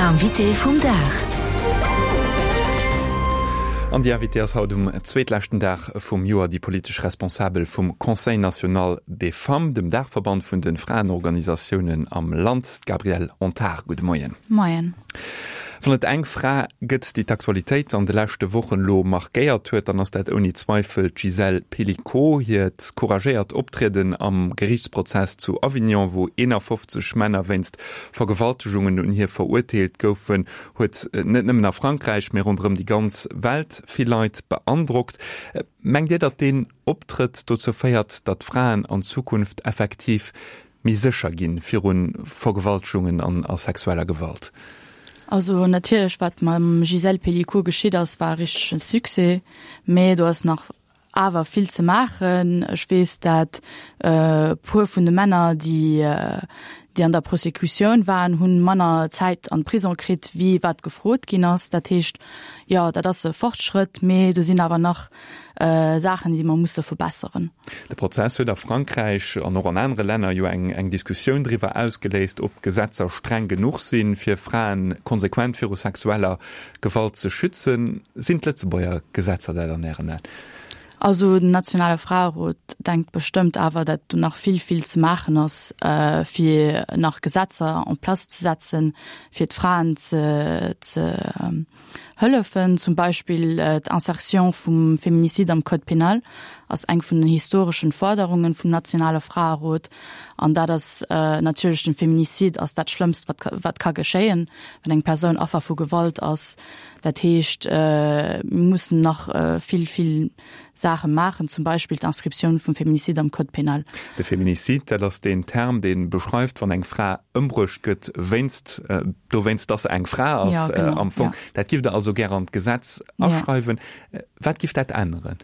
Invité vum Dag. An déi Invitée ass haut um zweetleschten Dag vum Joer déi politesch Responsabel vum Conseil national des femmes, dem Daachverband vun de Fraenorganisatiounen am Land, d'Gabrielle Antar. Gudde Moien. Moien. Wann et eng Fra gëtt, déi d'Aktualitéit an de leschte Wochen elo markéiert huet, dann ass dat ouni Zweifel d'Gisèle Pelicot. Hiert couragéiert Optrieden am Geriichtsprozess zu Avignon, wou 51 Männer wéinst Vergewaltegungen un hir verurteelt goufen, huet net nëmmen a Frankräich, mee ronderëm déi ganz Welt vill Leit beandrockt. Mengt Dir, datt deen Optrëtt dozou féiert, datt Fraen an Zukunft effektiv méi sécher ginn viru Vergewaltegungen an a sexueller Gewalt? Also natierlech, wat mam Gisèle Pelicot geschitt ass, war e richtege Succès, mee do ass nach awer vill ze maachen. Ech weess, dat e puer vun de Männer, déi déi an der Prosécutioun waren, hunn manner Zäit an Prison kritt, wéi wat gefrot ginn ass. Dat heescht, jo, dat ass e Fortschrëtt, mee do sinn awer nach Saachen, déi mer musse verbesseren. De Prozess huet a Frankräich an och an anere Länner jo eng eng Diskussioun driwwer ausgeléist, ob d'Gesetzer streng genuch sinn, fir Frae konsequent viru sexueller Gewalt ze schützen. Sinn d'Lëtzebuerger Gesetzer dat an Ären Aen? Also den nationale Fraerot denkt bestëmmt awer, dat do nach vill, vill ze maachen ass, fir nach Gesetzer en place ze setzen, fir d'Fraen ze ze hëllefen. Zum Beispill d'Insertion vum Féminicide am Code pénal ass eng vun den historeschen Forderungen vum nationale Fraerot. An dat ass natierlech, den Féminicide ass dat Schlëmmst, wat wat ka geschéien, wann eng Persoun Affer vu Gewalt ass. Dat heescht, mir mussen nach vill, vill Saache maachen, zum Beispill d'Inscriptioun vum Féminicide am Code pénal. De Féminicide, dat ass deen Term, dee beschreift, wann eng Fra ëmbruecht gëtt wéinst, dowéinst, dass se eng Fra ass am Fong. Dat giff Der also gär an d'Gesetz aschreiwen. Wat giff dat änneren?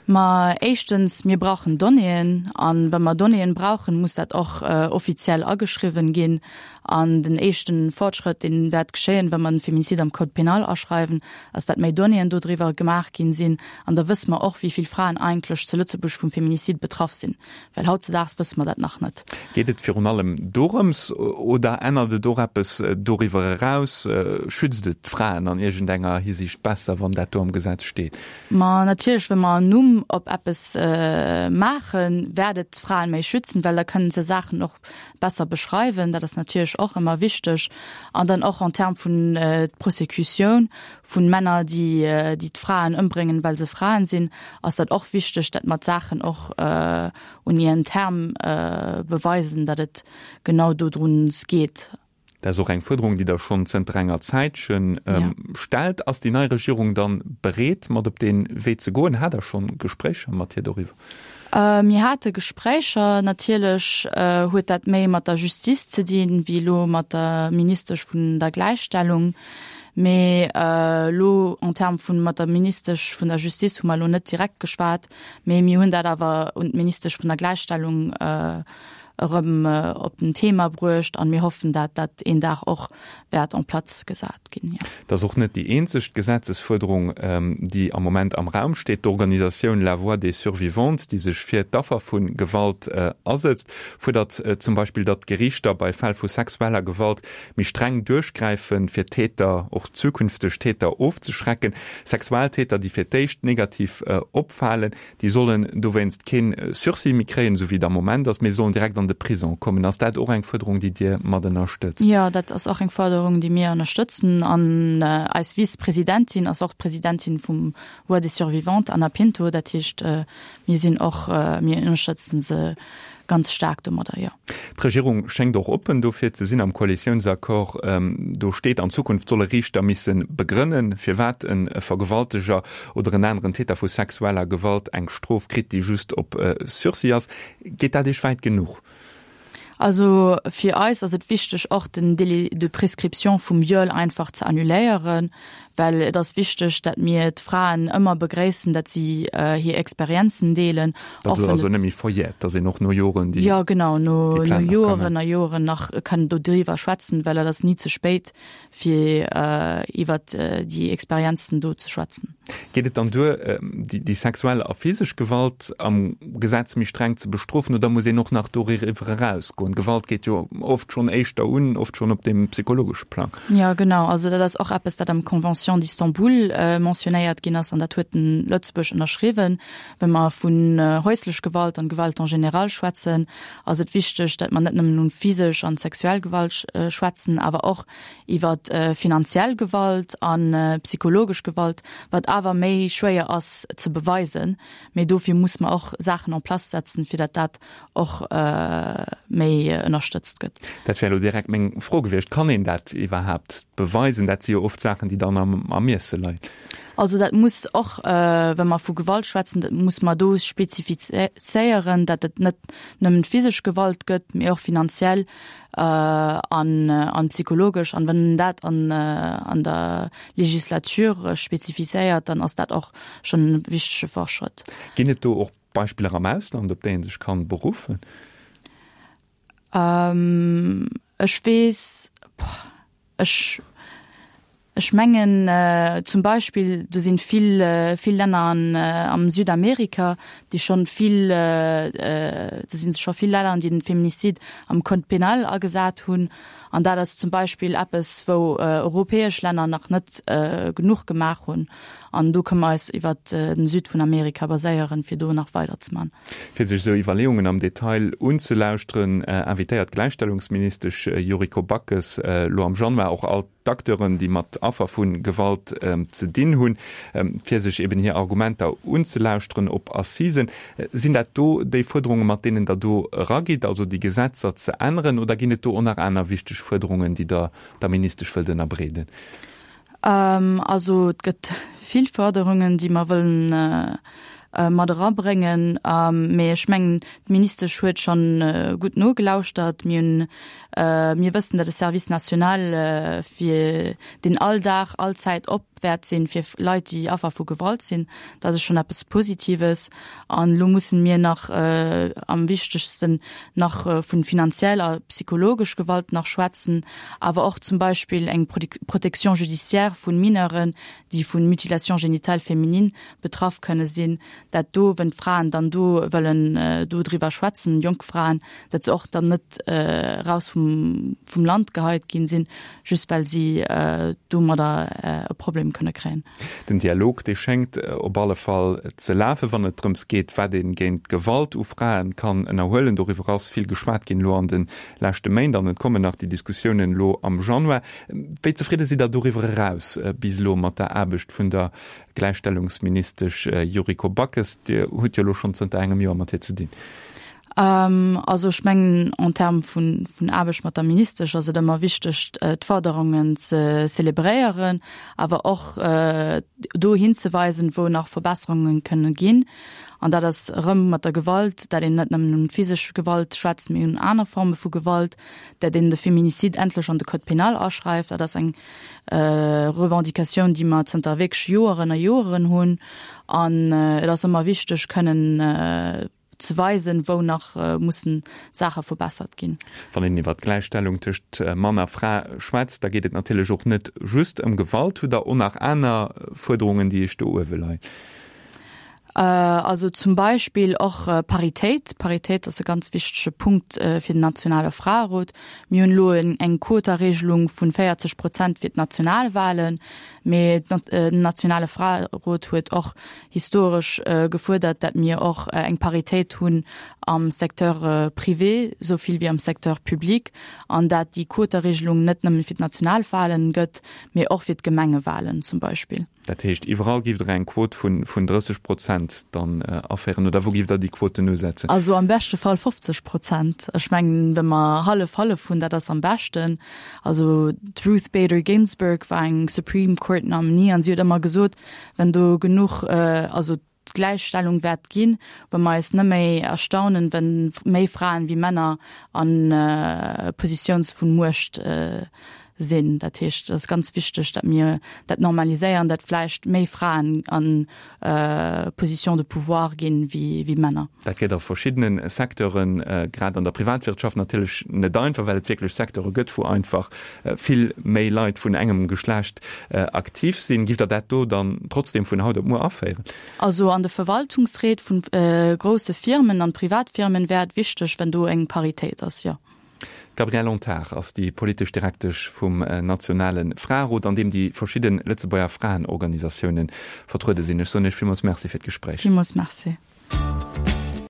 Ma éischtens, mir brauchen Donnéeën. A wa mer Donnéeën brauchen, muss dat och offiziell ageschriwwen ginn. An den éischten Fortschrëtt, deen wäert geschéien, wa mer den Féminicide am Code pénal aschreiwen, ass dat méi Donnéeën dodriwwer gemaach ginn sinn. An da wësse mer och, wéi vill Fraen eigentlech zu Lëtzebuerg vum Féminicide betraff sinn. Well hautzedaags wësse mer dat nach net. Geet et virun allem dorëms oder ännert et och eppes doriwwer eraus? Schützt et d'Fraen an iergendenger Hisiicht besser, wann dat do am Gesetz steet? Ma natierlech, wa mer en Numm op eppes maachen, wäert et d'Fraen méi schützen, well da kënnen se Saachen och besser beschreiwen. Dat ass natierlech och ëmmer wichteg. An dann och en termes vun d'Prosécutioun vun Männer, déi déi d'Fraen ëmbréngen, well se Fraen sinn, ass dat och wichteg, dat mer d'Saachen och un ihren Terme beweisen, datt et genau dodruns geet. Dat ass och eng Fuerderung, déi Der schonn zënter enger Zäitche stellt. Ass déi nei Regierung dann bereet, mat op dee Wee ze goen? Hat Der schonn Gespréicher mat hir doriwwer? Mir hate Gespréicher. Natierlech huet dat méi mat der Justice ze dinn, wéi elo mat der Ministesch vun der Gläichstellung. Mee elo en termes vun mat der Ministesch vun der Justice hu mer elo net direkt geschwat, mee mir hunn dat awer un d'Ministesch vun der Gläichstellung erëm op den Thema bruecht an mir hoffen, dat dat een Dag och wäert en place gesat ginn, jo. Dat ass och net déi eenzeg Gesetzesfuerderung, déi am Moment am Raum steet. D'Organisatioun La Voix des Survivantes, déi sech fir d'Affer vu Gewalt asëtzt, fuerdert zum Beispill, datt d'Geriichter bei Fäll vu sexueller Gewalt méi streng duerchgräifen, fir Täter, och zukünfteg Täter ofzeschrecken. Sexualtäter, déi fir d'éischt negativ opfalen, Déi sollen dowéinst kee Sursis méi kréien, esou wéi et am Moment ass, mee sollen direkt an de Prison kommen. Ass dat och eng Fuerderung, déi Dir mat ënnerstëtzt? Jo, dat ass och eng Fuerderung, déi mir ënnerstëtzen. An eis Vice-Presidentin ass och d'Presidentin vum Voix des Survivantes, Anna Pinto. Dat heescht, mir sinn och, mir ënnerstëtzen se ganz staark domadder, jo. D'Regierung schéngt och oppen dofir ze sinn. Am Koalitiounsaccord, do steet, an Zukunft solle Riichter misse begrënnen, firwat e Vergewalteger oder en aneren Täter vu sexueller Gewalt eng Strof kritt, déi just op Sursis ass. Geet dat Iech wäit genuch? Also fir eis ass et wichteg, och den Délai de prescription vum Viol einfach ze annuléieren. Well et ass wichteg, dat mir d'Fraen ëmmer begréissen, dat si hir Experienzen deelen. Dat ass also net méi verjährt, dass een och no Joren déi. Jo, genau, no Joren a Joren nach kann dodriwwer schwätzen, well et ass ni ze spéit, fir iwwert déi Experienzen do ze schwätzen. Geet et dann duer, déi sexuell a physesch Gewalt am Gesetz méi streng ze bestrofen oder muss een och nach doriwwer erausgoen? Gewalt geet jo oft schonn éischter un, oft schonn op deem psychologesche Plang. Jo, genau. Also dat ass och eppes, dat am Convention d'Istanbul mentionnéiert ginn ass an dat huet den Lëtzebuerg ënnerschriwwen. Wa mer vun häuslech Gewalt an Gewalt en général schwätzen, ass et wichteg, dat mer net nëmmen un physesch an sexuell Gewalt schwätzen, awer och iwwer finanziell Gewalt a psychologesch Gewalt, wat awer méi schwéier ass ze beweisen. Mee dofir muss mer och Saachen en place setzen, fir dat dat och méi ënnerstëtzt gëtt. Dat wär elo direkt meng Fro gewiescht. Kann een dat iwwerhaapt beweisen? Dat si jo oft Saachen, déi dann am Ermiesse leien. Also dat muss och, wa mer vu Gewalt schwätzen, dat muss mer do spezifizéieren, datt et net nëmmen physesch Gewalt gëtt, mee och finanziell an psychologesch. An wann een dat an der Legislature spezifizéiert, dann ass dat och schonn e wichtege Fortschrëtt. Ginn et do och Beispiller am Ausland, op déi ee sech kann beruffen? Ech weess, ech, ech mengen zum Beispill, do sinn vill, vill Länner an am Südamerika, déi schonn vill, do sinn scho vill Länner, déi den Feminicide am Code pénal agesat hunn. An dat ass zum Beispill eppes, wou europäesch Länner nach net genuch gemaach hunn. An do kënne mer eis iwwert den Süd vun Amerika baséieren, fir do nach weider ze man. Fir sech esou Iwwerleeungen am Detail unzelauschteren, invitéiert d'Gläichstellungsministesch Yuriko Backes elo am Januar och all d'Acteuren, déi mat Affer vu Gewalt ze dinn hunn, fir sech eben hir Argumenter unzelauschteren op Assisen. Sinn dat do déi Fuerderungen, mat deenen Der do eragitt, also déi Gesetzer ze änneren, oder ginn et do och nach aner wichteg Fuerderungen, déi Der der Ministesch wëllt ënnerbreeden? Also et gëtt vill Forderungen, déi mer wëllen mat erabréngen. Mee ech mengen, d'Ministesch huet schonn gutt nogelauschtert. Mir hunn, mir wëssen, datt e Service national fir deen all Dag, all Zäit op wäert sinn fir Leit, déi Affer vu Gewalt sinn. Dat ass schonn eppes Positives. An elo mussen mir nach am wichtegsten nach vun finanziell a psychologesch Gewalt nach schwätzen, awer och zum Beispill eng Protection judiciaire vun Mineuren, déi vun Mutilation génitale féminine betraff kënne sinn, dat do, wenn d'Fraen dann do wëllen do driwwer schwätzen, jonk Fraen, dat se och dann net raus vum vum Land geheit ginn sinn, just well si domadder e Problem kënne kréien. Den Dialog, dee schéngt op alle Fall ze lafen, wann et drëms geet, wat ee géint d'Gewalt u Frae kann ënnerhuelen. Doriwwer ass vill geschwat ginn elo an de leschte Méint an et kommen nach déi Diskussiounen elo am Januar. Wéi zefridde sidd Der doriwwer eraus bis elo mat der Aarbecht vun der Gläichstellungsministesch Yuriko Backes? Dir hutt jo elo schonn zënter engem Joer mat hir ze dinn. Also ech mengen, en termes vun Aarbecht mat der Ministesch ass et ëmmer wichteg, d'Forderungen ze zelebréieren, awer och do hinzeweisen, wou nach Verbesserunge kënnen ginn. An dat ass erëm mat der Gewalt, dat een net nëmmen un physesch Gewalt schwätzt, mee un aner Forme vu Gewalt, dat een de Féminicide endlech an de Code pénal aschreift. Dat ass eng Revendicatioun, déi mer zënter wierklech Joeren a Joeren hunn. An et ass ëmmer wichteg, kënnen ze weisen, wou nach mussen Saache verbessert ginn. Wann een iwwer d'Gläichstellung tëscht Mann a Fra schwätzt, da geet et natierlech och net just ëm Gewalt. Hutt Der och nach aner Fuerderungen, déi Iech do uewe leien? Also zum Beispill och Paritéit. Paritéit ass e ganz wichtege Punkt fir den nationale Fraerot. Mir hunn elo eng Quotaregelung vun 40 Prozent fir d'Nationalwahlen, mee den nationale Fraerot huet och historesch gefuerdert, dat mir och eng Paritéit hunn am Secteur privé esou vill wéi am Secteur public an dat déi Quoteregelung net nëmmen fir d'Nationalwahlen gëtt, mee och fir d'Gemengewahlen zum Beispill. Dat heescht, iwwerall giff Der eng Quot vun 30 Prozent dann aféieren, oder wou giff Der déi Quoten usetzen? Also am beschte Fall 50 Prozent. Ech mengen, wa mer hallef-hallef hunn, dat ass am beschten. Also d'Ruth Bader Ginsburg war eng Supreme Court Nominee an si huet ëmmer gesot, Wenn do genuch, also d'Gläichstellung wäert ginn, wa mer eis net méi erstaunen, wenn méi Fraen wéi Männer an Positions vun Muecht. sinn. Dat heescht, et ass ganz wichteg, datt mir dat normaliséieren, datt vläicht méi Fraen an Position de pouvoir ginn wéi Männer. Dat gëtt a verschiddene Secteuren, grad an der Privatwirtschaft natierlech net einfach, well et wierklech Secteure gëtt, wou einfach vill méi Leit vun engem Geschlecht aktiv sinn. Giff Der dat do dann trotzdem vun haut op muer aféieren? Also an de Verwaltungsréit vun grousse Firmen an Privatfirmen wär et wichteg, wenn do eng Paritéit ass, jo. D'Gabrielle Antar ass déi politesch Direktesch vum nationale Fraerot, an deem déi verschidde Lëtzebuerger Fraenorganisatioune vertruede sinn. Ech soen Iech villmools Merci fir d'Gespréich. Villmools Merci.